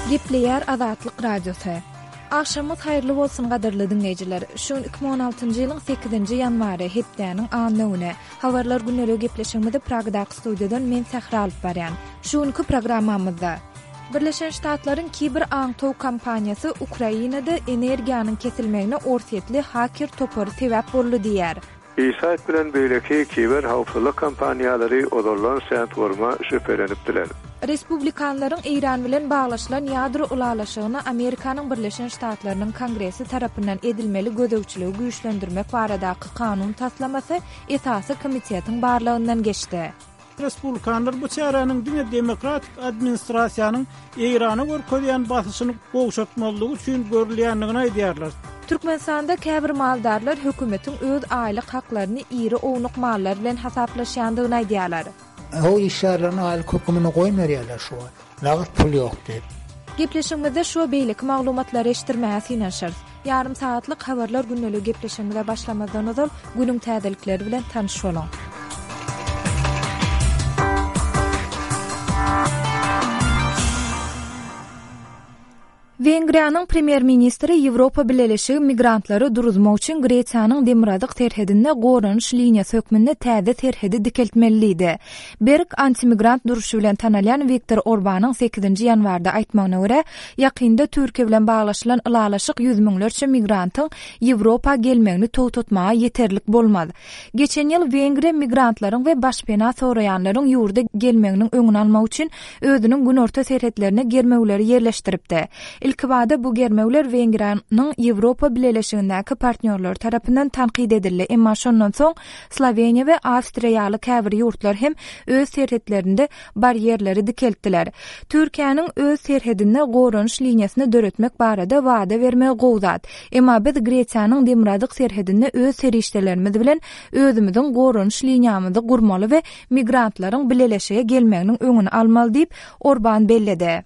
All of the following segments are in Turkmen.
Gepleýär Azatlyk Radiosy. Agşamyňyz haýyrly bolsun gadyrly diňleýjiler. Şu gün 2016-njy ýylyň 8-nji ýanwary, hepdäniň anna güni. Habarlar gündeligi gepleşigimizi Pragadaky studiýadan men Sähra alyp barýan. Şu günki programmamyzda. Birleşen Ştatlaryň kiber aňtaw kompaniýasy Ukrainada energiýanyň kesilmegine orsýetli haker topary sebäp boldy diýýär. ESight bilen beýleki kiber howpsuzlyk kompaniýalary ozaldan Sandworm-a şübhelenipdiler. Respublikanlaryň Eýran bilen baglaşylan ýadro ylalaşygyna Amerikanyň Birleşen Ştatlarynyň Kongresi tarapyndan edilmeli gözegçiligi güýçlendirmek baradaky kanun taslamasy esasy komitetiň barlagyndan geçdi. Respublikanlar bu çäräniň diňe demokratik administrasiýanyň Eýrana görkezýän basyşyny gowşatmazlygy üçin görülýändigini aýdýarlar. Türkmenistanda käbir maldarlar hökümetiň öz aýlyk haklaryny iri ownuk mallar bilen hasaplaşýandygyny aýdýarlar. O işgärleriň aýlyk hökümini goýmerýärler şu wagt. Nagt pul ýok diýip. Gepleşigimizde şu we beýleki maglumatlary eşitdirmäge synanyşarys. Ýarym sagatlyk Habarlar gündeligi gepleşigimize başlamazdan ozal, günüň täzelikleri bilen tanyş boluň. Wengriýanyň premýer-ministri Ýewropa Bileleşigi migrantlary duruzmak üçin Gresiýanyň demirgazyk serhedinde goranyş liniýasy hökmünde täze serhedi dikeltmeli diýdi. Berk antimigrant duruşy bilen tanalýan Wiktor Orbanyň sekizinji ýanwarda aýtmagyna görä, ýakynda Türkiýe bilen baglaşylan ylalaşyk ýüz müňlerçe migrantyň Ýewropa gelmegini togtatmaga ýeterlik bolmaz. Geçen ýyl Wengriýa migrantlaryň we başpena soraýanlaryň ýurda gelmeginiň öňüni almak üçin özüniň günorta serhetlerine germewleri ýerleşdiripdi. Ilkibada bu germewler Wengriýanyň Ýewropa Bileleşigindäki partnýorlary tarapyndan tankyt edildi, emma şondan soň Sloweniýa we Awstriýa ýaly käbir ýurtlar hem öz serhetlerinde barýerleri dikeltdiler. Türkiýäniň öz serhedinde goranyş liniýasyny döretmek barada wada bermegi gowy zat. Emma biz Gresiýanyň demirgazyk serhedinde öz serişdelerimiz bilen özümiziň goranyş liniýamyzy gurmaly we migrantlaryň bileleşige gelmeginiň öňüni almaly diýip, Orban belledi.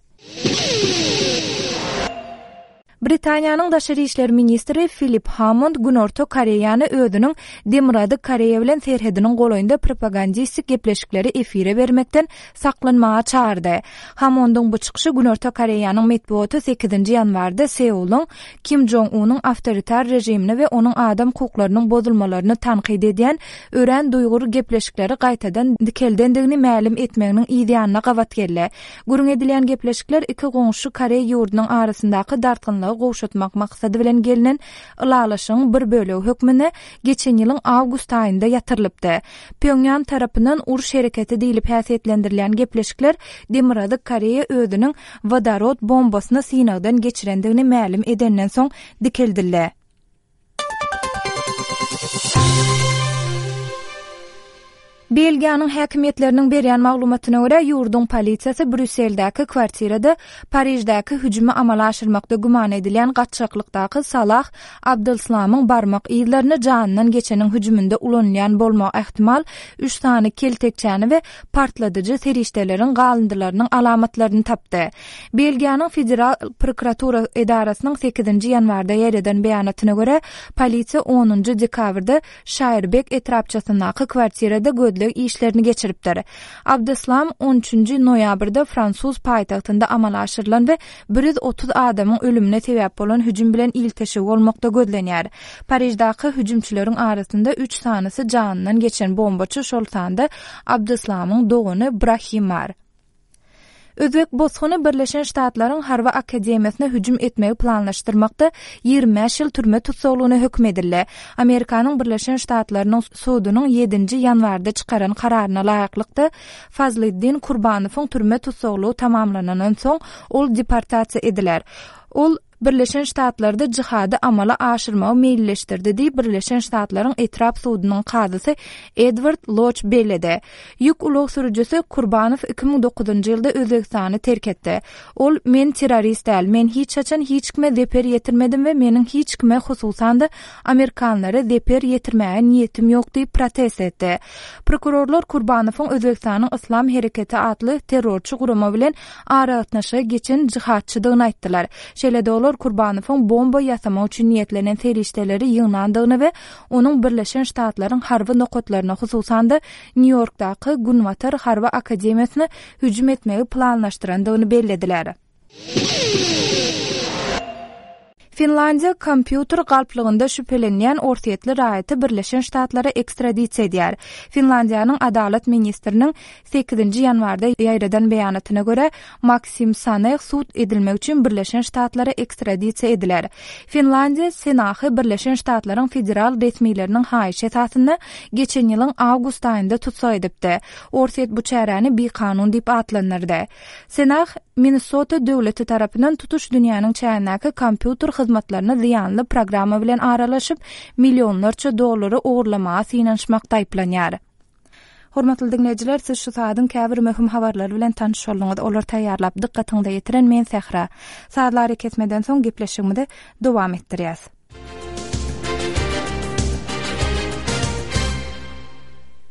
Britaniýanyň daşary işler ministri Filip Hammond Günorta Koreýany özüniň Demirgazyk Koreýa bilen serhediniň golaýynda propagandistik gepleşikleri efire bermekden saklanmaga çagyrdy. Hammondyň bu çykyşy Günorta Koreýanyň metbugaty sekizinji ýanwarda Seulyň Kim Jong Unyň awtoritar režimini we onuň adam hukuklarynyň bozulmalaryny tankyt edýän örän duýgur gepleşikleri gaýtadan dikeldendigini mälim etmeginiň yzýanyna gabat geldi. Gürrüň edilýän gepleşikler iki goňşy koreý ýurdunyň arasyndaky dartgynlygy gowşatmak maksady bilen gelnen ylalaşygyň bir bölegi hökmünde geçen ýylyň awgust aýynda ýatyrylypdy. Pýonýan tarapyndan uruş hereketi diýlip häsiýetlendirilýän gepleşikler Demirgazyk Koreýa özüniň wodorod bombasyny synagdan geçirendigini mälim edenden soň dikeldildi. Belgiýanyň häkimiýetleriniň berýän maglumatyna görä, ýurduň polisiýasy Brýusseldäki kwartirada Pariždäki hüjümi amala aşyrmakda güman edilýän gaçgaklykdaky Salah Abdelslamyň barmak yzlaryny janyndan geçeniň hüjüminde ulanylýan bolmagy ähtimal üç sany keltekçäni we partladyjy serişdeleriň galyndylarynyň alamatlaryny tapdy. Belgiýanyň Federal prokuratura edarasynyň sekizinji ýanwarda ýaýradan beýanatyna görä, polisiýa onunjy dekabrda Şaýrbek etrapçasyndaky kwartirada gözleg işlerini geçiripdir. Abdeslam on üçünji noýabrda fransuz paýtagtynda amala aşyrylan we 130 adamyň ölümine sebäp bolan hüjüm bilen ilteşigi bolmakda gözlenýär. Pariždaky hüjümçileriň arasynda üç sanysy janyndan geçen bombaçy, şol sanda Abdeslamyň dogany Brahim bar. Özbek bosguny Birleşen Ştatlaryň harby akademiýasyna hüjüm etmegi planlaşdyrmakda 25 ýyl türme tussaglygyna höküm edildi. Amerikanyň Birleşen Ştatlarynyň sudunyň ýedinji ýanwarda çykaran kararyna laýyklykda, Fazliddin Kurbanowyň türme tussaglygy tamamlanandan soň, ol deportasiýa ediler. Ol Birleşen Ştatlarda jihady amala aşyrmagy meýilleşdirdi diýip, Birleşen Ştatlaryň etrap sudunyň kazysy Edward Loç belledi. Ýük ulag sürüjisi Kurbanow 2009-njy ýylda Özbegistany terk etdi. Ol, Men terrorist däl. Men hiç haçan hiç kime zeper ýetirmedim we meniň hiç kime, hususan-da, amerikanlara zeper ýetirmäge niýetim ýok diýip protest etdi. Prokurorlar Kurbanowyň Özbegistanyň Yslam hereketi atly terrorçy gurama bilen aragatnaşyga geçen jihadçydygyny aýtdylar. Şeýle-de olar Kurbanowyň bomba ýasamak üçin niýetlenen serişdeleri ýygnandygyny we onuň Birleşen Ştatlaryň harby nokatlaryna, hususan-da, Nýu-Ýorkdaky Günbatar harby akademiýasyna hüjüm etmegi planlaşdyrandygyny bellediler. Finlandiýa kompýuter galplygynda şübhelenýän orsýetli raýaty Birleşen Ştatlara ekstradisiýa edýär. Finlandiýanyň Adalat ministriniň sekizinji ýanwarda ýaýradan beýanatyna görä, Maksim Saneh sud edilmek üçin Birleşen Ştatlara ekstradisiýa ediler. Finlandiýa Senahy Birleşen Ştatlaryň federal resmileriniň haýyşy esasynda geçen ýylyň awgust aýynda tussag edipdi. Orsýet bu çäräni bikanun diýip atlandyrdy. Senah, Minnesota döwleti tarapyndan tutuş dünýäniň çägindäki kompýuter hyzmatlaryna zyýanly programma bilen aralaşyp, millionlarça dollary ogurlamaga synanyşmakda aýyplanýar. Hormatly diňleýjiler, siz şu saadyň käbir möhüm habarlary bilen tanyş bolduňyz. Olary taýýarlap, dykgatyňyza ýetiren men Sähra. Sazly arakesmeden soň gepleşigimizi dowam etdirýäs.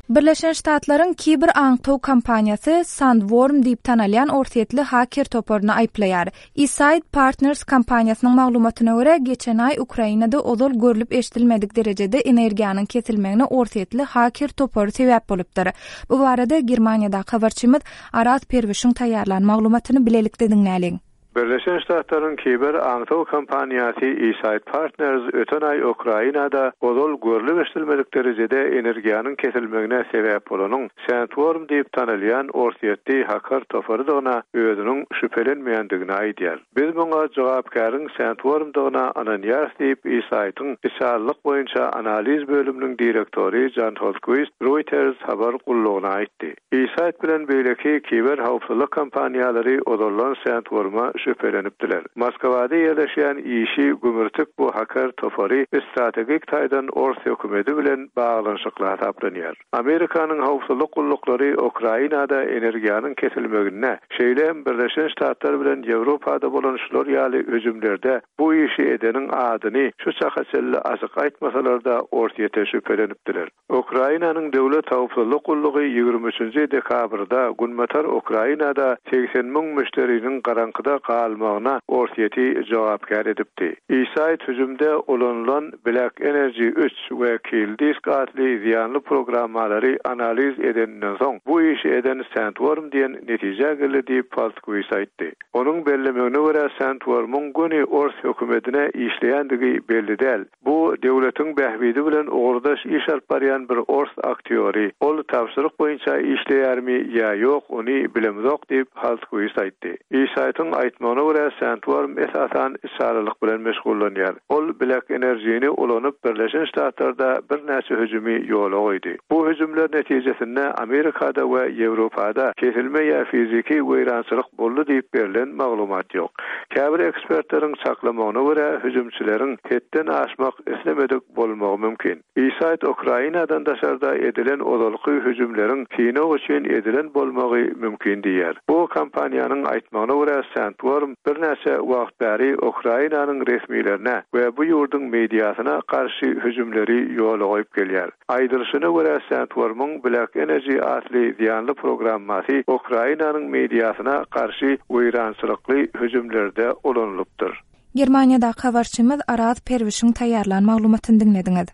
Birleşen Ştatlaryň kiber aňtaw kompaniýasy Sandworm diýip tanalýan orsýetli haker toparyny aýyplaýar. eSight Partners kompaniýasynyň maglumatyna görä, geçen aý Ukrainada ozal görlüp-eşidilmedik derejede energiýanyň kesilmegine orsýetli haker topary sebäp bolupdyr. Bu barada Germaniýadaky habarçymyz Araz Perwişiň taýýarlan maglumatyny bilelikde diňläliň. Birleşen Ştatlaryň kiber aňtaw kompaniýasy eSight Partners öten aý Ukrainada ozal görlüp-eşidilmedik derejede energiýanyň kesilmegine sebäp bolanyň Sandworm diýip tanalýan orsýetli haker toparydygyna özüniň şübhelenmeýändigini aýdýar. Biz muňa jogapkäriň Sandworm-dygyna ynanýarys diýip, eSight-yň içalylyk boýunça analiz bölüminiň direktory Jan Holtkwist Reuters habar gullugyna aýtdy. eSight bilen beýleki kiber howpsuzlyk kompaniýalary ozaldan Sandworm-a şübhelenipdiler. Moskwada ýerleşýän işi gümürtik bu haker topary strategik taýdan ors hökümeti bilen baglanyşykly hasaplanýar. Amerikanyň howpsuzlyk gulluklary Ukrainada energiýanyň kesilmeginde, şeýle hem Birleşen Ştatlar bilen Ýewropada bolan şular ýaly hüjümlerde bu işi edeniň adyny şu çaka çenli açyk aýtmasalar-da Orsýete şübhelenipdiler. Ukrainanyň Döwlet howpsuzlyk gullugy 23-nji dekabrda günbatar Ukrainada 80 müň müşderiniň garaňkyda galmagyna Orsýeti jogapkär edipdi. ESight hüjümde ulanylan Black Energy üç we KillDisk atly zyýanly programmalary analiz edeninden soň, bu işi eden Sandworm diýen netijä geldi diýip, Faltkwist aýtdy. Onuň bellemegine görä, Sandworm-yň göni ors hökümetine işleýändigi belli däl. Bu döwletiň bähbidi bilen ugurdaş iş alyp barýan bir ors aktýory. Ol tabşyryk boýunça işleýärmi ýa ýok, ony bilemzok diýip, Haltkwist aýtdy. ESight-yň aýtmagyna görä, Sandworm esasan içalylyk bilen meşgullanýar. Ol Black Energy-ni ulanyp Birleşen Ştatlarda birnäçe hüjümi ýola goýdy. Bu hüjümler netijesinde Amerikada we Ýewropada kesilme ýa fiziki weýrançylyk boldy diýip berlen maglumat ýok. Käbir ekspertleriň çaklamagyna görä, hüjümçileriň hetden aşmak islemedik bolmagy mümkin. ESight Ukrainadan daşarda edilen ozalky hüjümleriň synag üçin edilen bolmagy mümkin diýýär. Bu kompaniýanyň aýtmagyna görä, Sandworm birnäçe wagt bäri Ukrainanyň resmilerine we bu ýurduň mediasyna garşy hüjümleri ýola goýup gelýär. Aýdylyşyna görä, Sandworm-yň Black Energy atly zyýanly programmasy Ukrainanyň mediasyna garşy weýrançylykly hüjümlerde ulanylypdyr. Germaniýadaky habarçymyz Araz Perwişiň taýýarlan maglumatyny diňlediňiz.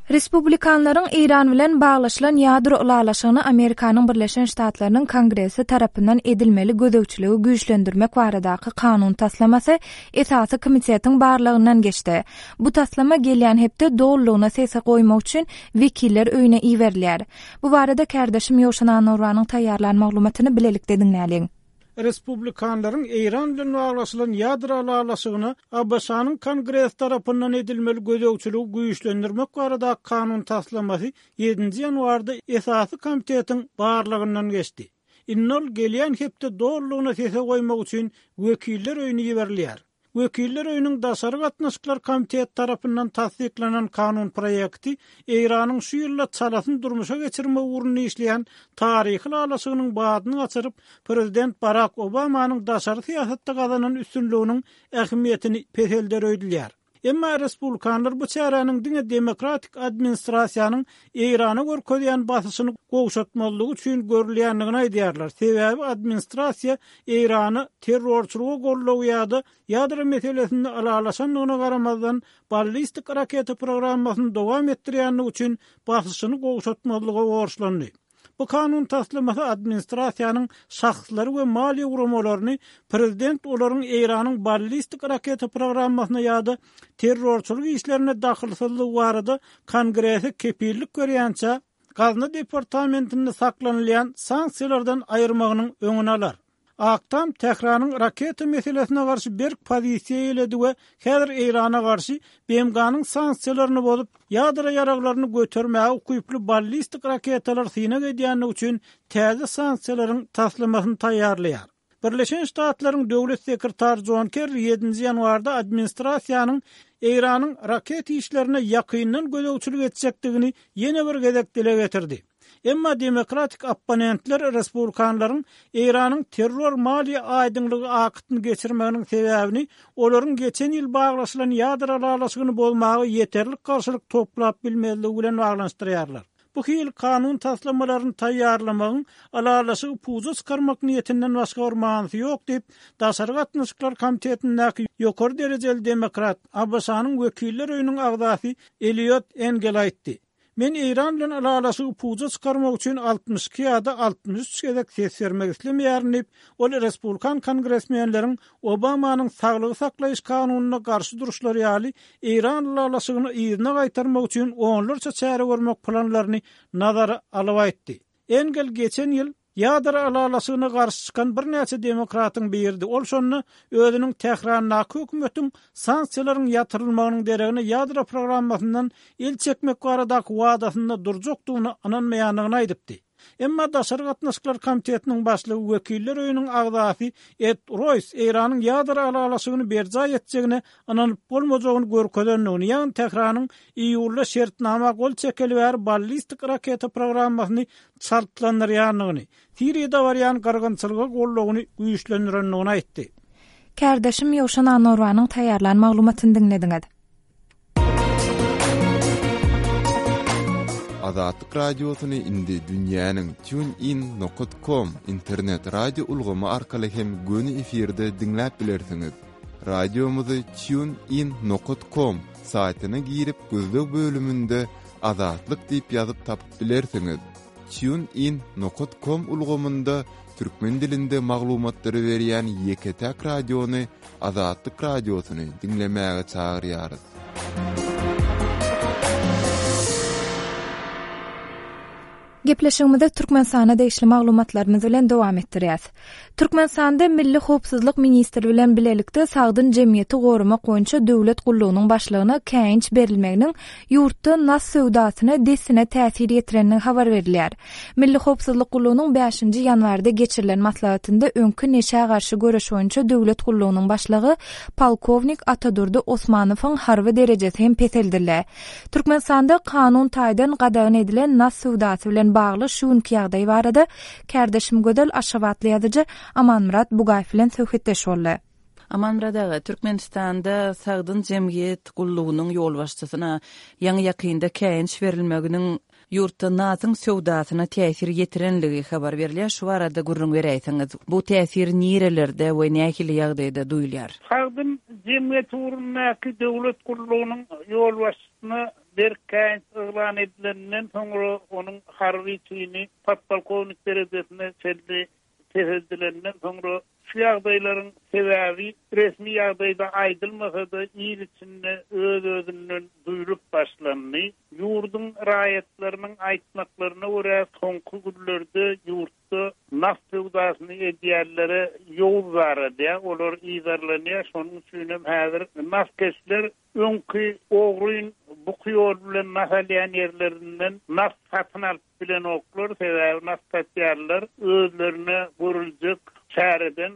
Respublikanlaryň Eýran bilen baglaşylan ýadro ylalaşygyna Amerikanyň Birleşen Ştatlarynyň Kongresi tarapyndan edilmeli gözegçiligi güýçlendirmek baradaky kanun taslamasy esasy komitetiň barlagyndan geçdi. Bu taslama gelýän hepde dolulygyna sese goýmak üçin Wekiller öýüne iberilýär. Bu barada kärdeşim Ýowşan Annagurbanyň taýýarlan maglumatyny bilelikde diňläliň. Respublikanlaryň Eýran bilen baglaşylan ýadro ylalaşygyna ABŞ-nyň Kongresi tarapyndan edilmeli gözegçiligi güýçlendirmek baradaky kanun taslamasy ýedinji ýanwarda esasy komitetiň barlagyndan geçdi. Indi ol gelýän hepde dolulygyna sese goýmak üçin Wekiller öýüne iberilýär. Wekiller öýüniň Daşary gatnaşyklar komiteti tarapyndan tassyklanan kanun proýekti Eýranyň şu ýylda çalasyn durmuşa geçirmek ugrunda işleýän taryhy ylalaşygynyň badyny gaçyryp, prezident Barak Obamanyň daşary syýasatda gazanan üstünliginiň ähmiýetini peselder öýdülýär. Emma respublikanlar bu çäräniň diňe demokratik administrasiýanyň Eýrana görkezýän basyşyny gowşatmazlygy üçin görülýändigini aýdýarlar, sebäbi administrasiýa Eýrana terrorçylyga goldaw ýa-da ýadro meselesinde ylalaşandygyna garamazdan, ballistik raketa programmasyny dowam etdirýändigi üçin basyşyny gowşatmazlyga borçlandy. Bu kanun taslamasy administrasiýanyň şahslary we maliýe guramalaryny prezident olaryň Eýranyň ballistik raketa programmasyna ýa-da terrorçylyk işlerine dahylsyzlygy barada Kongrese kepillik berýänçä Gazna departamentinde saklanylýan sanksiýalardan aýyrmagynyň öňüni alar. Ak Tam Tähranyň raketa meselesine garşy berk pozisiýa eýeledi we häzir Eýrana garşy BMG-niň sanksiýalaryny bozup, ýadro ýaraglaryny götermäge ukyply ballistik raketalar synag edýändigi üçin täze sanksiýalaryň taslamasyny taýýarlaýar. Birleşen Ştatlaryň Döwlet sekretary Jon Kerri ýedinji ýanwarda administrasiýanyň Eýranyň raketa işlerine ýakyndan gözegçilik etjekdigini ýene bir gezek dile getirdi. Emma demokratik opponentler respublikanlaryň Eýranyň terror maliýe aýdyňlygy aktyny geçirmeginiň sebäbini olaryň geçen ýyl baglaşylan ýadro ylalaşygyny bozmaga ýeterlik garşylyk toplap bilmezligi bilen baglanyşdyrýarlar. Bu hili kanun taslamalaryny taýýarlamagyň ylalaşygy puja çykarmak niýetinden başga bir manysy ýok diýip, Daşary gatnaşyklar komitetindäki ýokary derejeli demokrat, ABŞ-nyň Wekiller öýüniň agzasy Eliot Engel aýtdy. Men Eýran bilen ylalaşygy puja çykarmak üçin 62 ýa-da 63 gezek ses bermek islemeýärin diýip, ol respublikan kongresmenleriň Obamanyň saglygy saklaýyş kanunyna garşy duruşlary ýaly Eýran ylalaşygyny yzyna gaýtarmak üçin onlarça çäre görmek planlaryny nazara alyp aýtdy. Engel geçen ýyl ýadro ylalaşygyna garşy çykan birnäçe demokratyň biridi, ol şonda özüniň Tährandaky hökümetiň sanksiýalaryň ýatyrylmagynyň deregine ýadro programmasyndan el çekmek baradaky wadasynda durjakdygyna ynanmaýandygyny aýdypdy. Emma Daşary gatnaşyklar komitetiniň başlygy Wekiller öýüniň agzasy Ed Roýs Eýranyň ýadro ylalaşygyny berjaý etjegine ynanyp bolmajagyny görkezendigini, ýagny Tähranyň iýulda şertnama gol çekeli bäri ballistik raketa programmasyny çaltlandyrýandygyny, Siriýada barýan gyrgynçylyga goldawyny güýçlendirendigini aýtdy. Kärdeşim Ýowşan Annorwanyň taýýarlan maglumatyny diňlediňiz. Azatlyk Radiosyny indi dünýäniň TuneIn nokat com internet radio ulgamy arkaly hem göni efirde diňläp bilersiňiz. Radiomyzy TuneIn nokat com saýtyna girip gözleg bölüminde Azatlyk diýip ýazyp tapyp bilersiňiz. TuneIn nokat com ulgamynda türkmen dilinde maglumatlary berýän ýeke-täk radiony Azatlyk Radiosyny diňlemäge çagyrýarys. Gepleşigimizi Türkmenistana degişli maglumatlarymyz bilen dowam etdirýäs. Türkmenistanda Milli howpsuzlyk ministri bilen bilelikde sagdyn jemgyýeti goramak boýunça döwlet gullugynyň başlygyna käýinç berilmeginiň ýurtda nas söwdasyna dessine täsir ýetirenligi habar berilýär. Milli howpsuzlyk gullugynyň bäşinji ýanwarda geçirilen maslahatynda öňki neşä garşy göreş boýunça döwlet gullugynyň başlygy polkownik Atadurdy Osmanowyň harby derejesi hem peseldildi. Türkmenistanda kanun taýdan gadagan edilen nas söwdasy bilen bagly şu günki ýagdaý barada Kärdeşim Gözel aşgabatly ýazyjy Amanmyrat Bugaýew bilen söhbetdeş boldy. Amanmyrat aga, Türkmenistanda Sagdyn jemgyýet gullugynyň ýolbaşçysyna ýaňy-ýakynda käýinç berilmeginiň ýurtda nasyň söwdasyna täsir ýetirenligi habar berilýär. Şu barada gürrüň beräýseňiz. Bu täsir nirelerde we nähili ýagdaýda duýulýar? Sagdyn jemgyýet ugrundaky döwlet gullugynyň ýolbaşçysyna Berk käýinç yglan edileninden soňra onuň harby çini podpolkownik derejesine çenli peseldilenden soňra şu ýagdaýlaryň sebäbi resmi ýagdaýda aýdylmasa-da il içinde öz-özünden duýlup başlandy. Ýurduň raýatlarynyň aýtmaklaryna görä soňky günlerde ýurtda nas söwdasyny edýänlere ýowuz daralýar, olar yzarlanýar, şonuň üçinem häzir naskeşler Öňki ogryn buky ýol bilen nas alýan ýerlerinden nas satyn alyp bilenoklar, sebäbi nas satýanlar özlerine görüljek çäreden,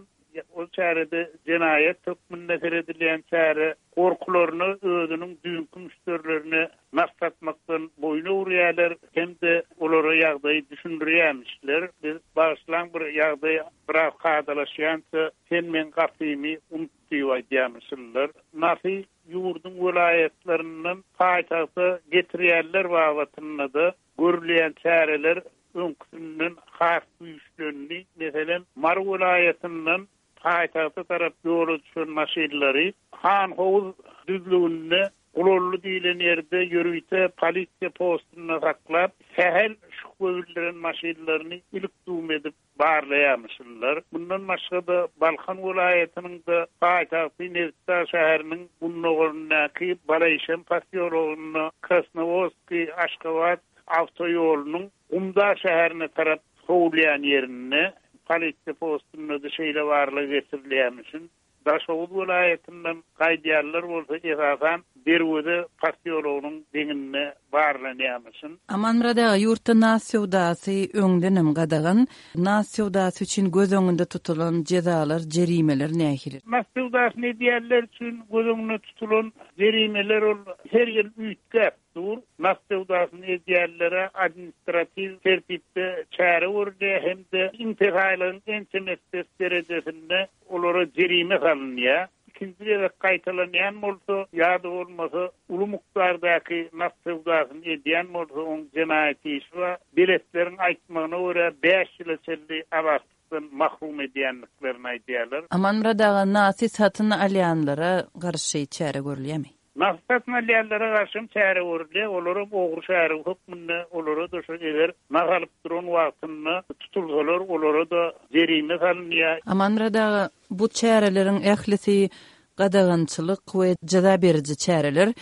ol çärede jenaýat hökmünde seredilýän çäre, gorkularyna özüniň düýnki müşderilerine nas satmakdan boýun öwürýärler hem-de olara ýagdaýy düşündirýärmişler. Biz bagyşlaň bir ýagdaý biraz kadalaşýança sen meň gapymy unut diýip aýdýarmyşynlar. Nasy ýurduň welaýatlaryndan paýtagta getirýänler babatynda-da görülýän çäreler öňküsinden has güýçlendi. Meselem, Mary welaýatyndan paýtagta tarap ýola düşen maşynlary Hanhowuz düzlüginde Gulally diýlen ýerde ýörite polisiýa postunda saklap, sähel. şübhe bildiren maşynlaryny ilik-düwme edip barlaýarmyşynlar. Mundan başga-da, Balkan welaýatynyň-da paýtagty Nebitdag şäheriniň gündogaryndaky Balaişem posýologynda Krasnowodskiý, Aşgabat awtoýolunyň Gumdag şäherine tarap sowulýan ýerinde polisiýa postunda-da şeýle barlag geçirilýärmişin. Daşoguz welaýatyndan gaýdýanlar bolsa esasan Derweze posýologynyň deňinde barlanýarmyşyn. Amanmyrat aga, ýurtda nas söwdasy öňdenem gadagan. Nas söwdasy üçin göz öňünde tutulan jezalar, jerimeler nähili? Nas söwdasyny edýänler üçin göz öňünde tutulan jerimeler ol her ýyl üýtgäp dur. Nas söwdasyny edýänlere administratiw tertipde çäre görülýär hem-de iň pes aýlygyň ençeme esse derejesinde olara jerime salynýar. Ikinji gezek gaýtalanýan bolsa ýa-da bolmasa uly mukdardaky nas söwdasyny edýän bolsa oň jenaýat işi bar. Beletleriň aýtmagyna görä bäş ýyla çenli azatlykdan mahrum edýändiklerini aýdýarlar. Amanmyrat aga nasy satyn alýanlara garşy çäre görülýärmi? Nagt satyn alýanlara garşy hem çäre görülýär. Olaram ogry şärigi hökmünde olara-da şu eger nagt alyp duran wagtynda tutulsalar olara-da jerime salynýar. Amanmyrat aga, bu çäreleriň ählisi gadagançylyk we jeza beriji çäreler.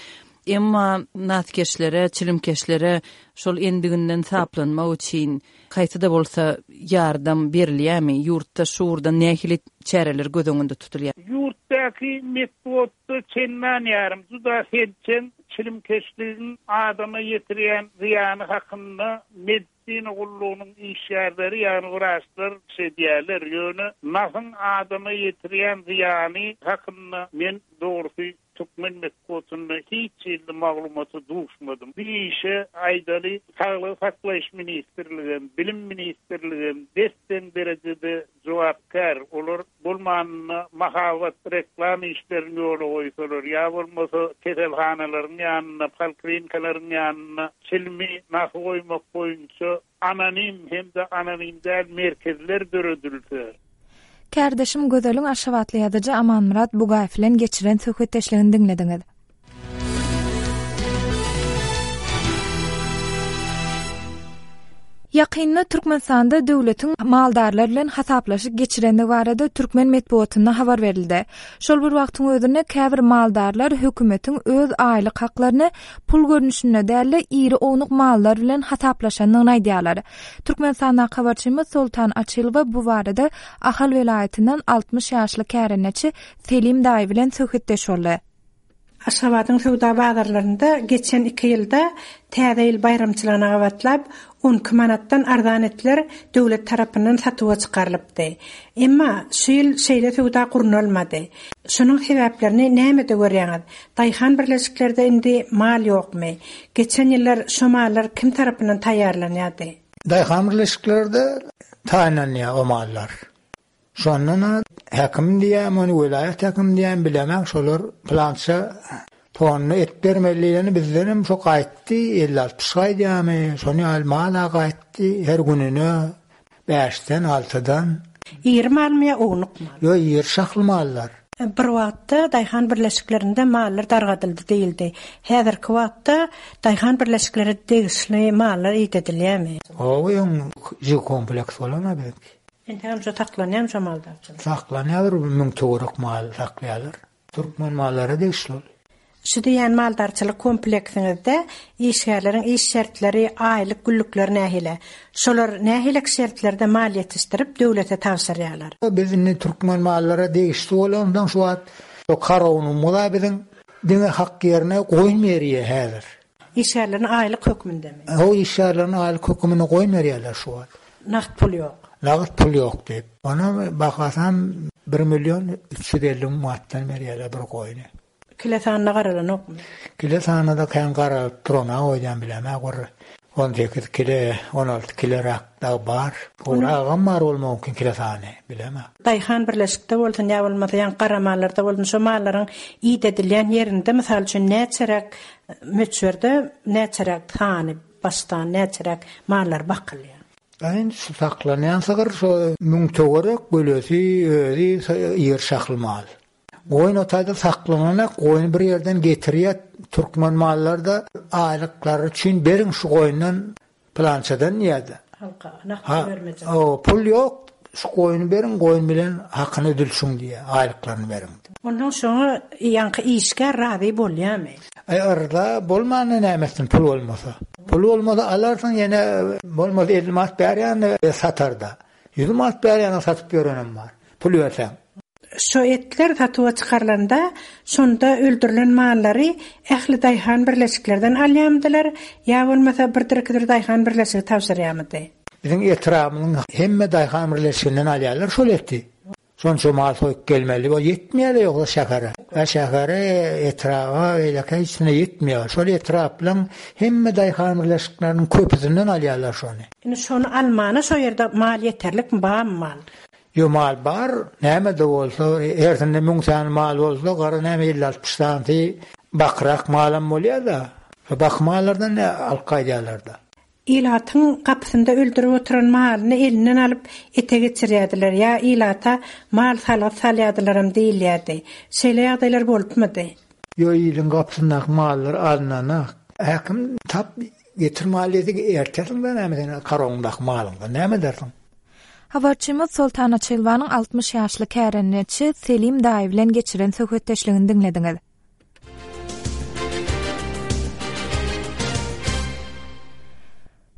Emma naskeşlere, çilimkeşlere şol endiginden saplanmak üçin haýsy-da bolsa ýardam berilýärmi? Ýurtda şu ugurdan nähili çäreler göz öňünde tutulýar? Ýurtdaky metbugatda çendan ýarym juda selçeň çilimkeşligiň adama ýetirýän zyýany hakynda medisina gullugynyň işgärleri, ýagny wraçlar çykyş edýärler. Ýöne nasyň adama ýetirýän zyýany hakynda men dogrusy Türkmen metbugatynda hiç hili maglumata duşmadym. Bu işe, aýdaly, Saglygy saklaýyş ministrligem, Bilim ministrligem des-deň derejede jogapkär. Olar bolmanynda mahabat, reklama işlerini ýola goýsalar, ýa bolmasa keselhanalaryň ýanynda, polklinikalaryň ýanynda çilimi nasy goýmak boýunça Anonim hem-de anonim däl merkezler döredilse. Kärdeşim Gözeliň aşgabatly ýazyjy Amanmyrat Bugaýew bilen geçiren söhbetdeşligini diňlediňiz. Ýakynda Türkmenistanda döwletiň maldarlar bilen hasaplaşyk geçirendigi barada türkmen metbugatynda habar berildi. Şol bir wagtyň özünde käbir maldarlar hökümetiň öz aýlyk haklaryny pul görnüşinde däl-de, iri-ownuk mallar bilen hasaplaşandygyny aýdýarlar. Türkmenistandaky habarçymyz Soltan Açylowa bu barada Ahal welaýatyndan 60 ýaşly kärendeçi Selim daýy bilen söhbetdeş boldy. Aşgabadyň söwda bazarlarynda geçen iki ýylda Täze ýyl baýramçylygyna gabatlap, 12 manatdan arzan etler döwlet tarapyndan satuwa çykarylypdy. Emma şu ýyl şeýle söwda gurnalmady. Şunuň sebäplerini nämede görýäňiz? Daýhan birleşiklerde indi mal ýokmy? Geçen ýyllar şo mallar kim tarapyndan taýýarlanýardy? Daýhan birleşiklerde taýynlanýar o mallar. Şondan-a häkim diýýämi ony, welaýat häkimi diýýämi bilemok, şolar pylança tonna et bermeli diýleni bizdenem şo gaýtdy, elli-altmyş gaýdýarmy, şony ýaly mal-a gaýtdy her gününe bäşden, altydan. Iri malmy ýa ownuk mal? Ýok, iri şahly mallar. Bir wagtda daýhan birleşiklerinde mallar dargadyldy diýildi. Häzirki wagtda daýhan birleşiklere degişli mallar idedilýärmi? Hawa, öň jig kompleks bolan-a biziňki. Entegem şo saklanýarmy şo maldarçylyk? Saklanýar, bir müň töwerek mal saklaýarlar. Türkmen mallary degişli ol. Şu diýýän maldarçylyk kompleksiňizde işgärleriň iş şertleri, aýlyk günlükleri nähili? Şolar nähilek şertlerde mal ýetişdirip, döwlete tabşyrýarlar? Biz indi türkmen mallara degişli bolansoň şu wagt şo korownymyz-a biziň diňe hak ýerine goýun berýär häzir. Işgärlerini aýlyk hökmündemi? Hawa, işgärlerini aýlyk höküminde goýun berýärler şu wagt. Nagt pul ýok. Nagt pul ýok diýip. Onuň bahasam bir million 350 müň manatdan berýärler bir goýny. Kile sanyna garalanokmy? Kile sanyna-da kän garalyp duranok öýdýän bilemok bir 18 kile, 16 kileräk dagy bar. Gowragam bar bolmagy mümkin kile sany, bilemok. Daýhan birleşikde bolsun ýa bolmasa ýaňky gara mallarda bolsun şo mallaryň idedilýän ýerinde mysal üçin näçeräk möçberde näçeräk sany başdan näçeräk mallar bakylýar? Indi şu saklanýan sygyr şo müň töwerek gölesi özi ýer şahly mal. Goýun o taýda saklananak goýny bir ýerden getirýär türkmen mallarda aýlyklary üçin beriň şu goýundan. Pylançadan diýýär-de. Halka nagt pul bermejek. Ha, pul ýok, şu goýny beriň, goýun bilen hakyny ödülşiň diýýär, aýlyklaryny beriň. Onnoň şoňa ýaňky işgär razy bolýamy? Aý, yrza bolmanda näme etsin, pul bolmasa. Pul bolmasa alarsyň, ýene bolmasa 50 manat berýän-de satar-da. 100 manat berýäne satyp ýörenem bar. Pul berseň. Şo etler satuwa çykarylanda, şonda öldürilen mallary ähli daýhan birleşiklerden alýamydylar ýa bolmasa birdir-ikidir daýhan birleşigi tabşyrýamydy? Biziň etrabymyzyň hemme daýhan birleşiginden alýarlar şol eti. Şonça mal soýup gelmeli bol ýetmeýär-de ýogsa şähere. Ä şähere, etraba, beýlekä hiçsine ýetmeýär. Şol etraplaň hemme daýhan birleşikleriniň köpüsinden alýarlar şony. Indi şony almana şo ýerde mal ýeterlikmi, barmy mal? Ýo mal bar, näme-de bolsa, hersinde müň sany mal bolsa, gara näme elli-altmyş sanysy bakyrak malam bolýar-da. Şo baky mallardan alyp gaýdýarlar-da. Ilatyň gapysynda öldürip oturan malyny elinden alyp, ete geçirýärdiler ýa ilata mal salgyt salýardylaram diýilýärdi. Şeýle ýagdaýlar bolupmydy? Ýo iliň gapysyndaky mallar alynana. Häkim tap getir mal diýse ertersiň-dä näme sen karowyňdaky malyňdan näme edersiň? Habarçymyz Soltan Açylowanyň 60 ýaşly kärendeçi Selim daýy bilen geçiren söhbetdeşligini diňlediňiz.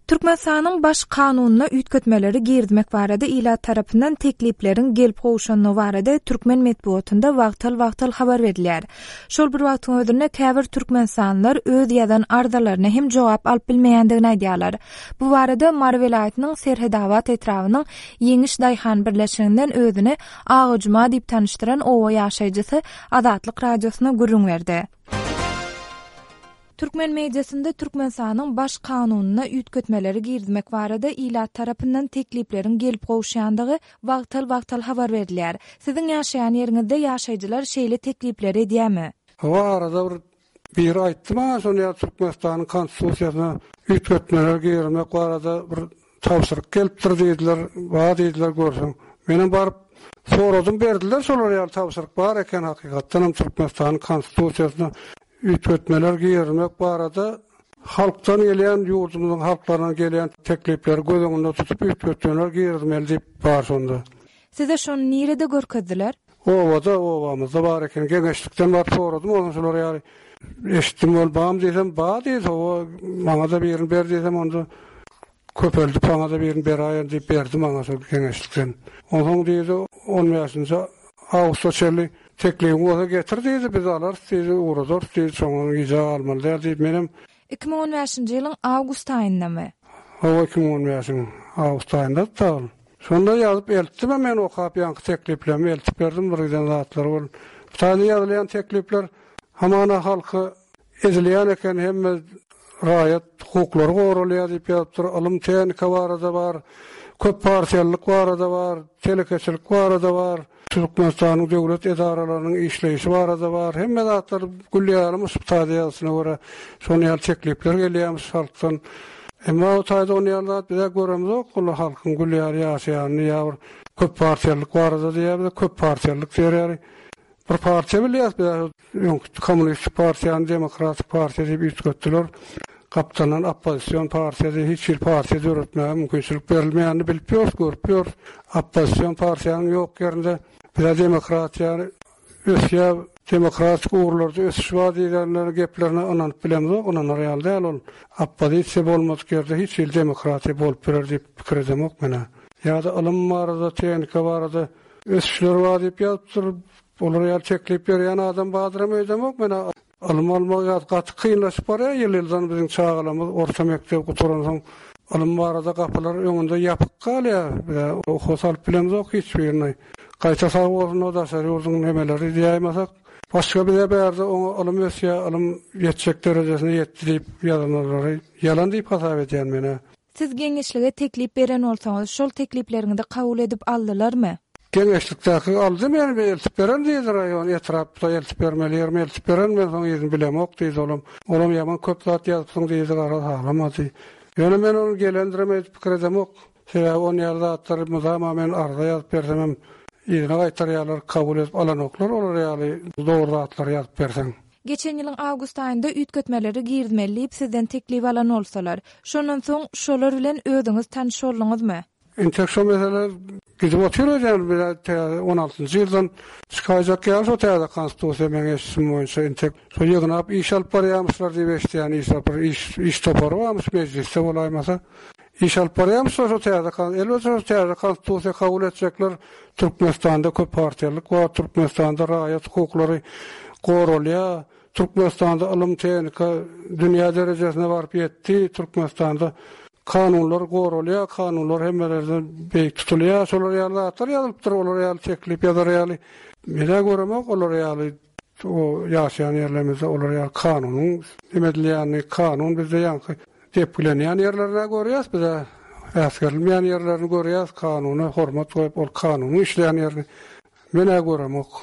Türkmenistanyň Baş Kanunyna üýtgetmeleri girizmek barada ilat tarapyndan teklipleriň gelip gowşandygy barada türkmen metbugatynda wagtal-wagtal habar berilýär. Şol bir wagtyň özünde käbir türkmenistanlylar öz ýazan arzalaryna hem jogap alyp bilmeýändigini aýdýarlar. Bu barada Mary welaýatynyň Serhedabat etrabynyň Ýeňiş daýhan birleşiginden özüni Aga Juma diýip tanyşdyran oba ýaşaýjysy Azatlyk Radiosyna gürrüň berdi. Türkmen mediasynda Türkmenistanyň Baş Kanunyna üýtgetmeleri girizmek barada ilat tarapyndan teklipleriň gelip gowuşýandygy wagtal-wagtal habar berilýär. Siziň ýaşaýan ýeriňizde ýaşaýjylar şeýle teklipleri edýärmi? Hawa arada bir Biri aýtdy maňa şony ýa Türkmenistanyň konstitusiýasyna üýtgetmeler girizmek barada bir tabşyryk gelipdir diýdiler, bar diýdiler görseň. Menem baryp soradym berdiler şolar ýaly tabşyryk bar eken hakykatdanam Türkmenistanyň konstitusiýasyna üýtgetmeler girizmek barada halkdan gelýän ýurdumyzyň halklaryndan gelýän teklipleri göz öňünde tutup üýtgetmeler girizmeli diýip bar şonda. Size şony nirede görkezdiler? Obada, obamyzda bar eken. Geňeşlikden baryp soradym, onsoň şular ýaly eşitdim ol bam diýsem, ba diýdi, hawa, maňa-da birini ber diýsem, onda köpeldip saňa-da birini beräýerin diýip berdi maňa şol geňeşlikden. Onsoň diýdi, on bäşinji awgusta çenli teklibiň bolsa getir diýdi, biz alarys diýdi, ugradarys diýdi, şoňa gijä galmaly däl diýip, menem 2015-nji ýylyň awgust aýyndamy? Hawa, 2015-iň awgust aýyndady-da ol. Şonda ýazyp eltdim-ä men okap ýaňky tekliplerimi eltip berdim bir giden zatlary bol. Bu taýda ýazylýan teklipler hamana halky ezilýän eken hemme raýat hukuklary goralýar diýip ýazypdyr, ylym tehnika barada bar, köp partiýalylyk barada bar, telekeçilik barada bar. Türkmenistanyň döwlet edaralarynyň işleýşi barada bar. Hemme zatlar gül ýalymyş bu taýda ýazyşyna görä. Şonuň ýaly teklipler gelýärmiş halkdan. Emma o taýda onuň ýaly zat biz-ä göremzok. Ol halkyň gül ýaly ýaşaýanyny ýa bir köp partiýalylyk barada diýýär bize köp partiýalylyk diýer ýaly. Bir partiýa bilýäs biz-ä Öňki kommunistik partiýany demokratik partiýa diýip üýtgetdiler. Gapdaldan oppozision partiýa diýip hiç hili partiýa döretmäge mümkinçilik berilmeýänini bilip ýörüs, görüp ýörüs. Oppozision partiýanyň ýok ýerinde bizä demokratiýa ösýär, demokratik ugurlarda ösüş bar diýenleriniň geplerine ynanyp bilemzok, ynanar ýaly däl ol. Oppozisiýa bolmadyk ýerde hiç hili demokratiýa bolup biler diýip pikir edemok men-ä. Ýa-da ylym barada, tehnika barada ösüşler bar diýip ýazypdyr. Olar ýaly teklip berýän adam bardyram öýdemok men-ä. Ylym almak ýa gaty kynlaşyp barýar ýyl-ýyldan biziň çagalarymyz orta mekdebi gutaransoň ylym barada gapylar öňünde ýapyk galýar. Biz-ä okuwa salyp bilemzok hiç birini. Gaýta sag bolsun o daşary ýurduň nemeleri diýäýmasak. Başga bize bärde oňa ylym ösýär, ylym ýetjek derejesine ýetdi diýip ýazanlary ýalan diýip hasap edýän men-ä. Siz geňeşlige teklip beren bolsaňyz, şol teklipleriňizi kabul edip aldylarmy? Geňeşlikdäki aldy meni bir eltip beren diýdi raýon etrapda eltip bermeli ýerime eltip beren men soň yzyny bilemok diýdi olam. Olam ýaman köp zat ýazypsyň diýdi garaz halamady. Ýöne men ony gelendirem öýdüp pikir edemok. Sebäbi on ýaly zatlary mydama men arza ýazyp bersemem yzyna gaýtarýarlar kabul edip alanoklar olar ýaly dogry zatlary ýazyp berseň. Geçen ýylyň awgust aýynda üýtgetmeleri girizmeli diýip sizden teklip alan bolsalar, şondan soň şolar bilen özüňiz tanyş bolduňyzmy? Entek şo mesele gidip otyr öýdýän, bir täze on altynjy ýyldan çykaýjak ýaly şo täze konstitusiýa meň eşidişim boýunça entek şo ýygnap iş alyp barýamyşlar diýip eşidýän iş bir iş iş topary barmyş mejlisde bolaýmasa iş alyp barýamyşlar şo täze elbetde şo täze konstitusiýa kabul etjekler Türkmenistanda köp partiýalylyk bar Türkmenistanda raýat hukuklary goralýar Türkmenistanda ylym tehnika dünýä derejesine baryp ýetdi Türkmenistanda Kanunlar goralýar, kanunlar hemmelerden beýik tutulýar. Şolar ýaly zatlar ýazylypdyr, olar ýaly teklip ýazar ýaly. Men-ä göremok olar ýaly o ýaşaýan ýerlerimizde olar ýaly kanunyň neme edilýänini, kanun bizde ýaňky depgilenýän ýerlerini-ä görýäs biz-ä. Äsgerilmeýän ýerlerini görýäs, kanuna hormat goýup ol kanunyň işleýän ýerini men-ä göremok.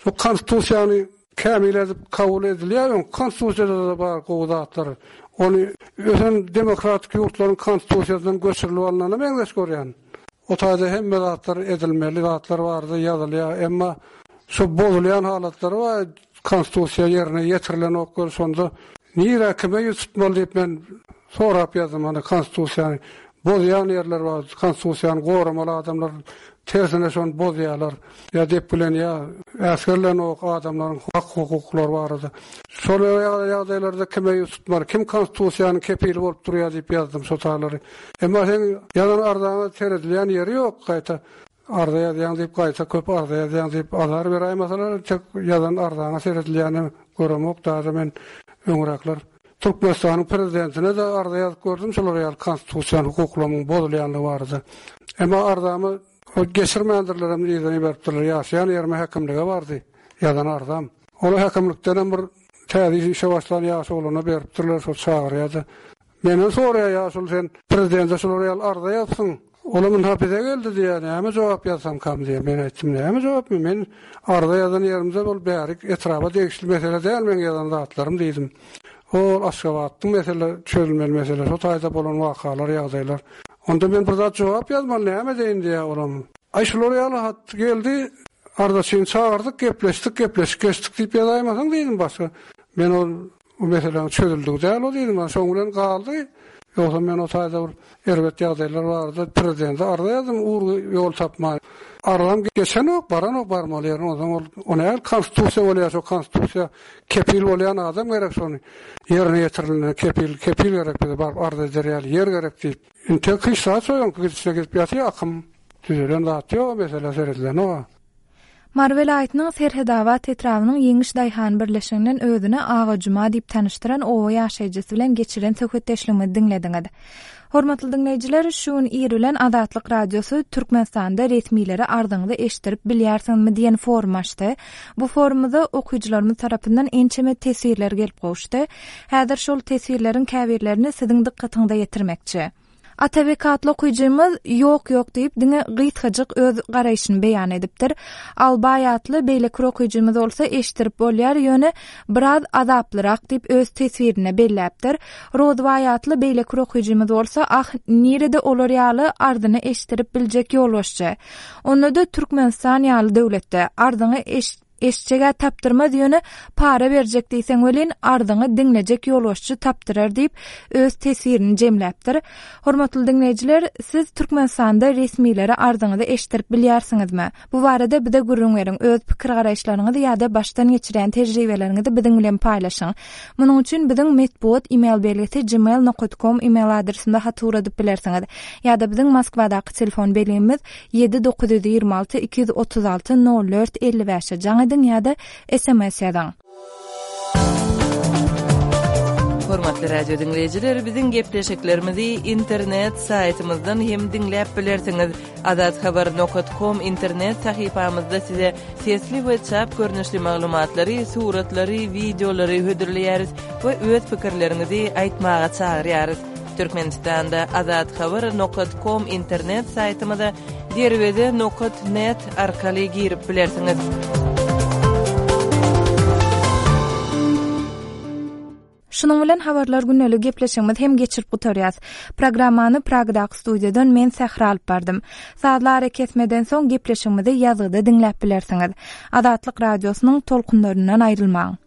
Şu konstitusiýany kämil edip kabul edilýär öň konstitusiýada-da bar gowy zatlar. Ony ösen demokratik ýurtlaryň konstitusiýasyndan göçürilip alnana meňzeş görýän. O taýda hemme zatlar edilmeli zatlar barada ýazylýar. Emma şu bozulýan halatlary bar konstitusiýa ýerine ýetirilenok weli şonda nirä kime ýüz tutmaly diýip men sorap ýazdym hany konstitusiýany bozýan ýerler bar konstitusiýany goramaly adamlar tersine şony bozýarlar. Ýa depgilenýär, äsgerilenok adamlaryň hak-hukuklary barada. Şol ýagdaýlarda kime ýüz tutmaly, kim konstitusiýanyň kepili bolup durýar diýip ýazdym şo talary. Emma seň ýazan arzaňa seredilýän ýeri ýok, gaýta arza ýazýaň diýip gaýta köp arza ýazýaň diýip azar beräýmeseler tek ýazan arzaňa seredilýänini göremok daže men öňräkler Türkmenistanyň prezidentine-de arza ýazyp gördüm şolar ýaly konstitusiýanyň hukuklarymyň bozulýanlygy barada. Emma arzamy O geçirmändirlerem yzyna iberipdirler. Ýaşaýan ýerime häkimlige bardy ýazan arzam. Ol häkimlikdenem bir täze işe başlan ýaş oglana beripdirler, şol çagyrýar-da. Menden soraýar ýaşuly sen prezidente şular ýaly arza ýazypsyň. Olam ynha bize geldi diýýär, näme jogap ýazsamkam diýýär. Men aýtdym, näme jogapmy, men arza ýazan ýerimde ol bärik etraba degişli mesele däl meň ýazan zatlarym diýdim. Ol Aşgabatdyň mesele, çözülmeli mesele, şo taýda bolan wakalar, ýagdaýlar. Onda men bir zat jogap ýazmaly, näme edeýin diýýär olam. Aý şular ýaly hat geldi, arzaçyny çagyrdyk, gepleşdik, gepleşik geçdik diýip ýazaýmasaň diýdim başga. Men ol bu meseläniň çözüldigi däl o diýdim, ana şoň bilen galdy. Ýogsa men o taýda bir erbet ýagdaýlar barada prezidente arza ýazdym, urgy ýol tapman. Arzam geçenok, baranok barmaly ýerine, onsoň ol o nähili konstitusiýa bolýar, şo konstitusiýa kepil bolýan adam gerek şony ýerine ýetirilmegine kepil kepil gerek bize baryp arz eder ýaly ýer gerek diýip. Intek hiç zat şo öňki gidişine gidip ýatyr akym düzelen zat ýok mesele seredilenok. Mary welaýatynyň Serhedabat etrabynyň Ýeňiş daýhan birleşiginden özüni Aga Juma diýip tanyşdyran oba ýaşaýjysy bilen geçiren söhbetdeşligimizi diňlediňiz. Hormatly diňleýjiler, şu gün ir bilen Azatlyk Radiosy Türkmenistanda resmilere arzyňyzy eşitdirip bilýärsiňizmi diýen forum açdy. Bu forumyza okyjylarymyz tarapyndan ençeme teswirler gelip gowuşdy. Häzir şol teswirleriň käbirlerini siziň dykgatyňyza ýetirmekçi. Atabek atly okyjymyz Ýok, ýok diýip, diňe gysgajyk öz garaýşyny beýan edipdir. Albaý atly beýleki bir okyjymyz bolsa Eşitdirip bolýar, ýöne biraz azaplyrak diýip öz teswirinde belläpdir. Rozbaý atly beýleki bir okyjymyz bolsa Ah, nirede olar ýaly arzyny eşitdirip biljek ýolbaşçy. Onda-da Türkmenistan ýaly döwletde. Arzyňy eşitjeg-ä tapdyrmaz, ýöne para berjek diýseň welin, arzyňy diňlejek ýolbaşçy tapdyrar diýip, öz teswirini jemläpdir. Hormatly diňleýjiler, siz Türkmenistanda resmilere arzyňyzy eşitdirip bilýärsiňizmi? Bu barada bize gürrüň beriň, öz pikir-garaýyşlaryňyzy ýa-da başdan geçirýän tejribeleriňizi biziň bilen paýlaşyň. Munuň üçin biziň metbugat email belgisi gmail nokat kom email adresinde hat ugradyp bilersiňiz. Ýa-da biziň Moskwadaky telefon belgimiz ýedi 926 236 04 55-e jaň ediň ýa-da sms ýazyň. Hormatly radio diňleýjiler, biziň gepleşiklerimizi internet saýtymyzdan hem diňläp bilersiňiz. Azathabar nokat kom internet sahypamyzda size sesli we çap görnüşli maglumatlary, suratlary, wideolary hödürleýäris we öz pikirleriňizi aýtmaga çagyrýarys. Türkmenistanda Azathabar nokat kom internet saýtymyza Derweze nokat net arkaly girip bilersiňiz. Şunuň bilen Habarlar gündeliği gepleşigimizi hem geçirip gutarýas. Programmany Pragadaky studiýadan men Sähra alyp bardym. Sazly arakesmeden soň gepleşigimizi ýazgyda diňläp bilersiňiz. Azatlyk Radiosynyň tolkunlaryndan aýrylmaň.